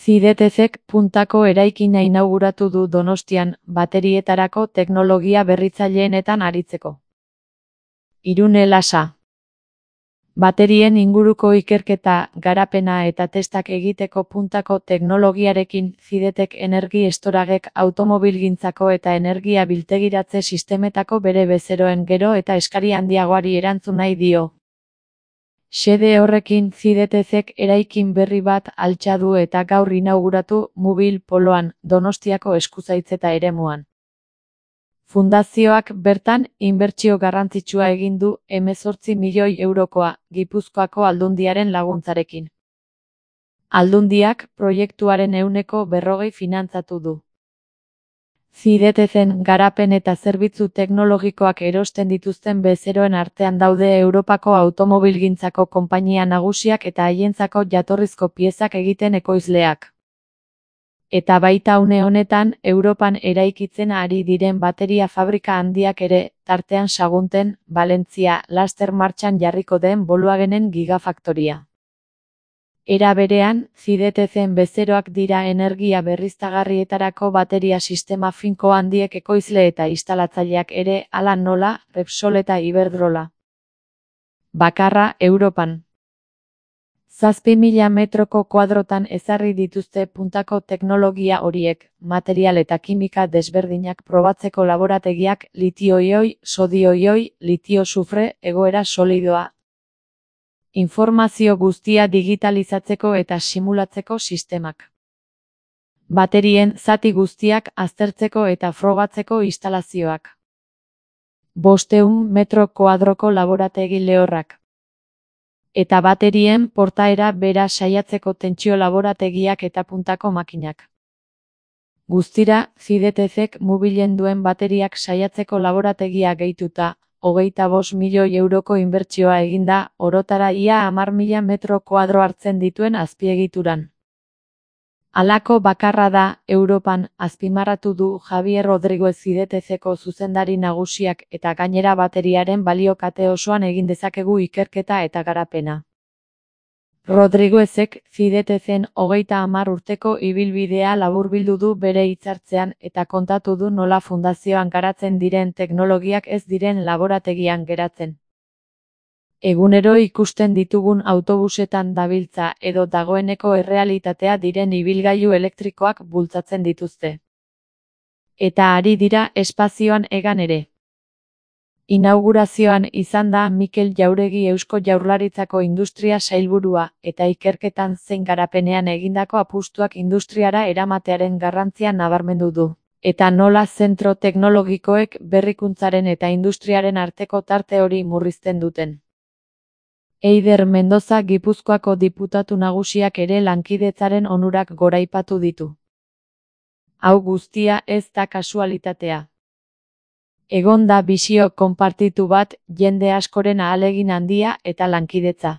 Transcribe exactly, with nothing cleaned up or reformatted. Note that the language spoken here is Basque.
Cidetecek puntako eraikina inauguratu du Donostian baterietarako teknologia berritzaileenetan aritzeko. Irune Lasa. Baterien inguruko ikerketa, garapena eta testak egiteko puntako teknologiarekin Cidetec Energi Storagek automobilgintzako eta energia biltegiratze sistemetako bere bezeroen gero eta eskari handiagoari erantzun nahi dio. Xede horrekin Cidetecek eraikin berri bat altxa du eta gaur inauguratu Mubil Poloan, Donostiako eskuzaitzeta eremuan. Fundazioak bertan inbertsio garrantzitsua egin du hemezortzi milioi eurokoa, Gipuzkoako Aldundiaren laguntzarekin. Aldundiak proiektuaren ehuneko berrogei finantzatu du. Cidetecen garapen eta zerbitzu teknologikoak erosten dituzten bezeroen artean daude Europako automobilgintzako konpainia nagusiak eta haientzako jatorrizko piezak egiten ekoizleak. Eta baita une honetan, Europan eraikitzen ari diren bateria fabrika handiak ere, tartean Sagunten, Valentzia, laster martxan jarriko den Volkswagenen gigafaktoria. Era berean, Cidetecen bezeroak dira energia berriztagarrietarako bateria sistema finko handiek ekoizle eta instalatzaileak ere, hala nola, Repsol eta Iberdrola. Bakarra, Europan. Zazpi mila metroko kuadrotan ezarri dituzte puntako teknologia horiek, material eta kimika desberdinak probatzeko laborategiak litio-ioi, sodio-ioi, litio-sufre, egoera solidoa. Informazio guztia digitalizatzeko eta simulatzeko sistemak. Baterien zati guztiak aztertzeko eta frogatzeko instalazioak. Bostehun metro kuadroko laborategi lehorrak. Eta baterien portaera bera saiatzeko tentsio laborategiak eta puntako makinak. Guztira, Cidetecek Mubilen duen bateriak saiatzeko laborategia gehituta, hogeita bost milioi euroko inbertsioa eginda, orotara ia hamar mila metro kuadro hartzen dituen azpiegituran. Halako bakarra da, Europan, azpimarratu du Javier Rodriguez Cideteceko zuzendari nagusiak eta gainera bateriaren balio kate osoan egin dezakegu ikerketa eta garapena. Rodriguezek Cidetecen hogeita hamar urteko ibilbidea laburbildu du bere hitzartzean eta kontatu du nola fundazioan garatzen diren teknologiak ez diren laborategian geratzen. Egunero ikusten ditugun autobusetan dabiltza edo dagoeneko errealitatea diren ibilgailu elektrikoak bultzatzen dituzte. Eta ari dira espazioan egan ere. Inaugurazioan izan da Mikel Jauregi Eusko Jaurlaritzako Industria Sailburua eta ikerketan zein garapenean egindako apustuak industriara eramatearen garrantzia nabarmendu du. Eta nola zentro teknologikoek berrikuntzaren eta industriaren arteko tarte hori murrizten duten. Eider Mendoza Gipuzkoako diputatu nagusiak ere lankidetzaren onurak goraipatu ditu. Hau guztia ez da kasualitatea. Egon da bisio konpartitu bat, jende askoren ahalegin handia eta lankidetza.